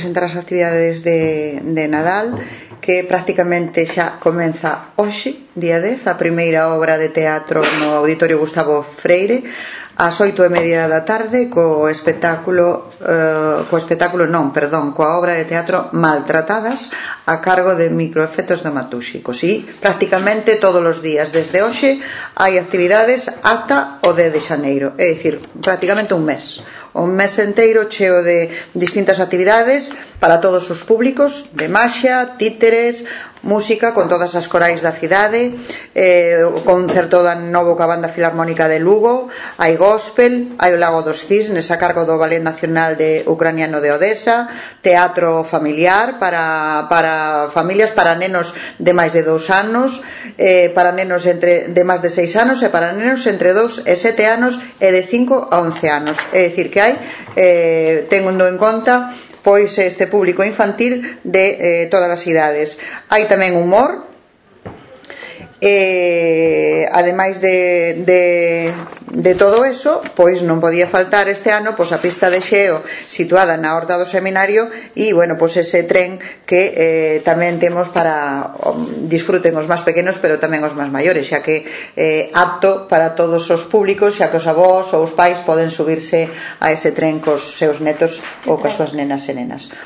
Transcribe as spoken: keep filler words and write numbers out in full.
presentar as actividades de, de Nadal, que prácticamente xa comeza hoxe, día dez, a primeira obra de teatro no Auditorio Gustavo Freire, ás oito e media da tarde, co espectáculo eh, co espectáculo non, perdón, coa obra de teatro Maltratadas, a cargo de Microefectos Dramatúxicos. E prácticamente todos os días desde hoxe hai actividades ata o dez de xaneiro, é dicir, prácticamente un mes un mes enteiro cheo de distintas actividades para todos os públicos, de maxia, títeres, música con todas as corais da cidade, eh, o concerto da novo ca Banda Filarmónica de Lugo, hai gospel, hai o Lago dos Cisnes a cargo do Ballet Nacional de Ucraniano de Odesa, teatro familiar para, para familias, para nenos de máis de dous anos, eh, para nenos entre, de máis de seis anos e para nenos entre dous e sete anos e de cinco a once anos, é dicir que hai, eh, tendo en conta pois este público infantil de eh, todas as idades. Hai tamén humor, e ademais de, de, de todo eso, pois non podía faltar este ano pois a pista de xeo situada na Horta do Seminario e, bueno, pois ese tren que eh, tamén temos para um, disfruten os máis pequenos pero tamén os máis maiores, xa que eh, apto para todos os públicos, xa que os avós ou os pais poden subirse a ese tren cos seus netos ou coas súas nenas e nenas.